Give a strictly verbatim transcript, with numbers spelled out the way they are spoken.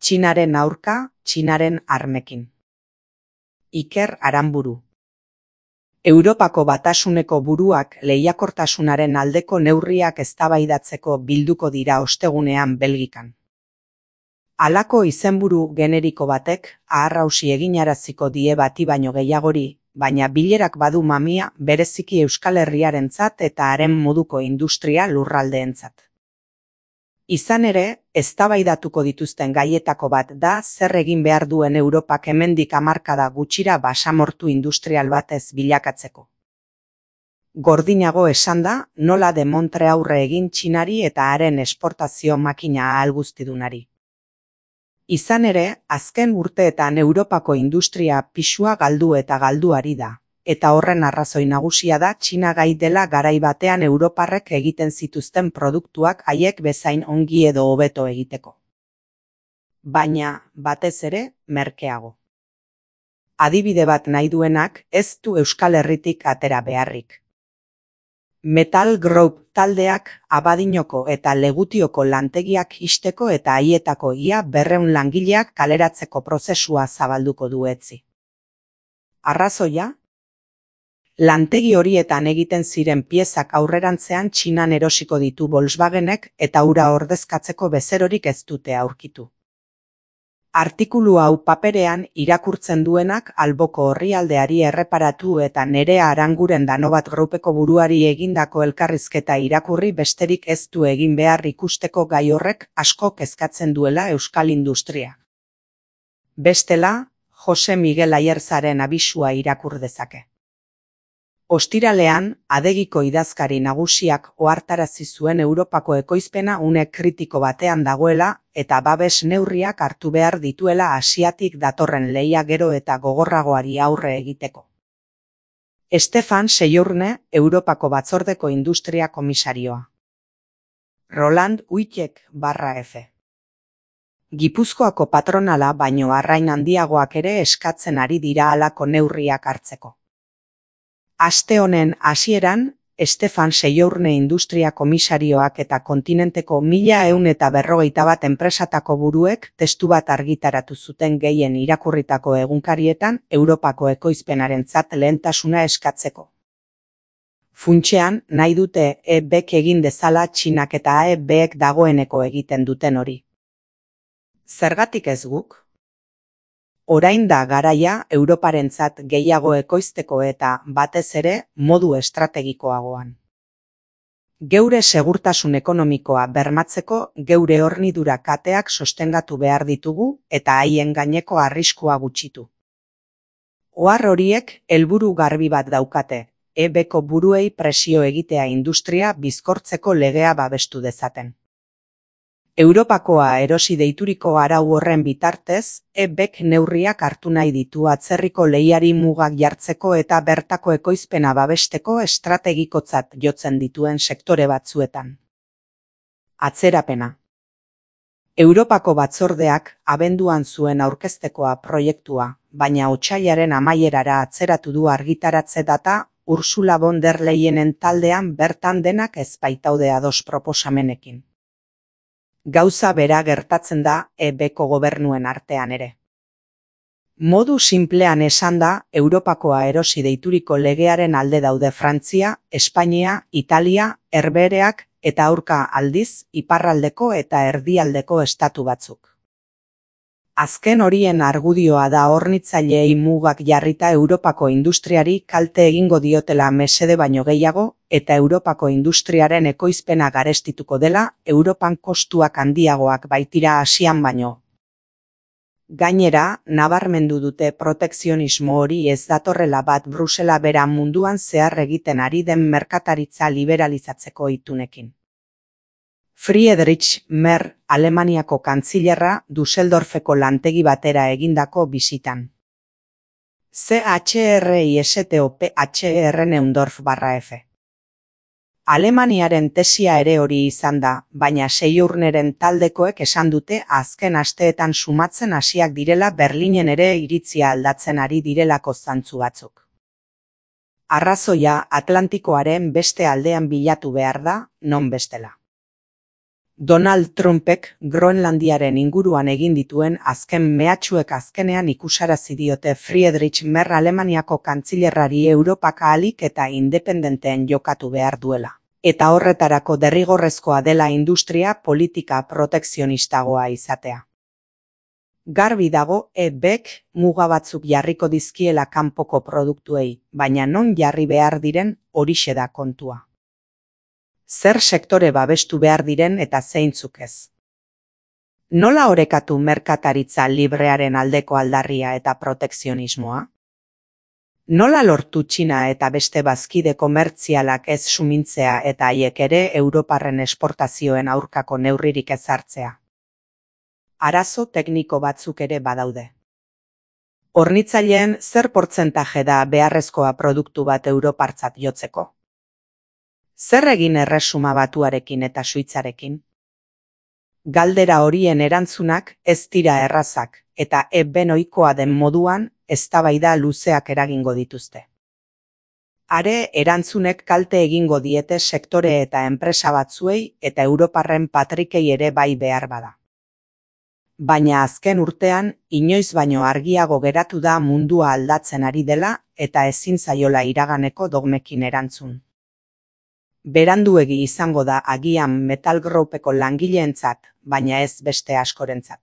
Txinaren aurka, Txinaren armekin. Iker Aranburu. Europako Batasuneko buruak lehiakortasunaren aldeko neurriak eztabaidatzeko bilduko dira ostegunean Belgikan. Halako izenburu generiko batek aharrausi eginaraziko die bati baino gehiagori, baina bilerak badu mamia bereziki Euskal Herriarentzat eta haren moduko industria lurraldeentzat. Izan ere, eztabaidatuko dituzten gaietako bat da zer egin behar duen Europak hemendik hamarkada gutxira basamortu industrial batez bilakatzeko. Gordinago esanda, nola demontre aurre egin Txinari eta haren esportazio makina ahalguztidunari. Izan ere, azken urteetan Europako industria pisua galdu eta galduari da, eta horren arrazoi nagusia da Txina gai dela garai batean europarrek egiten zituzten produktuak haiek bezain ongi edo hobeto egiteko. Baina, batez ere, merkeago. Adibide bat nahi duenak ez du Euskal Herritik atera beharrik. Metal Group taldeak Abadinoko eta Legutioko lantegiak ixteko eta haietako ia berrehun langileak kaleratzeko prozesua zabalduko du etzi. Arrazoia? Lantegi horietan egiten ziren piezak aurrerantzean Txinan erosiko ditu Volkswagenek eta hura ordezkatzeko bezerorik ez dute aurkitu. Artikulu hau paperean irakurtzen duenak alboko orrialdeari erreparatu eta Nerea Aranguren Danobat Groupeko buruari egindako elkarrizketa irakurri besterik ez du egin behar ikusteko gai horrek asko kezkatzen duela euskal industria. Bestela, Jose Miguel Aierzaren abisua irakur dezake. Ostiralean, Adegiko idazkari nagusiak ohartarazi zuen Europako ekoizpena une kritiko batean dagoela eta babes neurriak hartu behar dituela Asiatik datorren lehia gero eta gogorragoari aurre egiteko. Stefan Sejourne, Europako Batzordeko Industria Komisarioa. Roland Uitek barra F. Gipuzkoako patronala baino arrain handiagoak ere eskatzen ari dira halako neurriak hartzeko. Aste honen hasieran, Stefan Sejourne Industria Komisarioak eta kontinenteko mila ehun eta berrogeita bat enpresatako buruek testu bat argitaratu zuten gehien irakurritako egunkarietan Europako ekoizpenarentzat lehentasuna eskatzeko. Funtsean, nahi dute E Bk egin dezala Txinak eta E Bek dagoeneko egiten duten hori. Zergatik ez guk? Orain da garaia Europarentzat gehiago ekoizteko eta, batez ere, modu estrategikoagoan. Geure segurtasun ekonomikoa bermatzeko geure hornidura kateak sostengatu behar ditugu eta haien gaineko arriskua gutxitu. Ohar horiek helburu garbi bat daukate, E Bko buruei presio egitea industria bizkortzeko legea babestu dezaten. Europakoa erosi deituriko arau horren bitartez, E Bk neurriak hartu nahi ditu atzerriko lehiari mugak jartzeko eta bertako ekoizpena babesteko estrategikotzat jotzen dituen sektore batzuetan. Atzerapena. Europako batzordeak abenduan zuen aurkeztekoa proiektua, baina otsailaren amaierara atzeratu du argitaratze data Ursula von der Leyenen taldean bertan denak ez baitaude ados proposamenekin. Gauza bera gertatzen da E Bko gobernuen artean ere. Modu sinplean esanda, Europakoa erosi deituriko legearen alde daude Frantzia, Espainia, Italia, Herbehereak eta aurka aldiz, iparraldeko eta erdialdeko estatu batzuk. Azken horien argudioa da hornitzaileei mugak jarrita Europako industriari kalte egingo diotela mesede baino gehiago eta Europako industriaren ekoizpena garestituko dela Europan kostuak handiagoak baitira Asian baino. Gainera, nabarmendu dute protekzionismo hori ez datorrela bat Brusela bera munduan zehar egiten ari den merkataritza liberalizatzeko itunekin. Friedrich Merz, Alemaniako kantzilerra, Düsseldorfeko lantegi batera egindako bisitan. C H R I S T O P H R Neundorf barra F. Alemaniaren tesia ere hori izan da, baina Sejourneren taldekoek esan dute azken asteetan sumatzen hasiak direla Berlinen ere iritzia aldatzen ari direlako zantzu batzuk. Arrazoia Atlantikoaren beste aldean bilatu behar da, non bestela. Donald Trumpek Groenlandiaren inguruan egin dituen azken mehatxuek azkenean ikusarazi diote Friedrich Merz Alemaniako kantzilerrari Europak ahalik eta independenteen jokatu behar duela. Eta horretarako derrigorrezkoa dela industria politika protekzionistagoa izatea. Garbi dago E Bk muga batzuk jarriko dizkiela kanpoko produktuei, baina non jarri behar diren horixe da kontua. Zer sektore babestu behar diren eta zeintzuk ez. Nola orekatu merkataritza librearen aldeko aldarria eta protekzionismoa? Nola lortu Txina eta beste bazkide komertzialak ez sumintzea eta haiek ere Europarren esportazioen aurkako neurririk ezartzea? Arazo tekniko batzuk ere badaude. Hornitzaileen zer portzentaje da beharrezkoa produktu bat Europartzat jotzeko? Zer egin Erresuma Batuarekin eta Suitzarekin? Galdera horien erantzunak ez dira errazak, eta E B ohikoa den moduan eztabaida luzeak eragingo dituzte. Are erantzunek kalte egingo diete sektore eta enpresa batzuei eta Europarren patrikei ere bai behar bada. Baina azken urtean, inoiz baino argiago geratu da mundua aldatzen ari dela eta ezin zaiola iraganeko dogmekin erantzun. Beranduegi izango da agian Metal Groupeko langileentzat, baina ez beste askorentzat.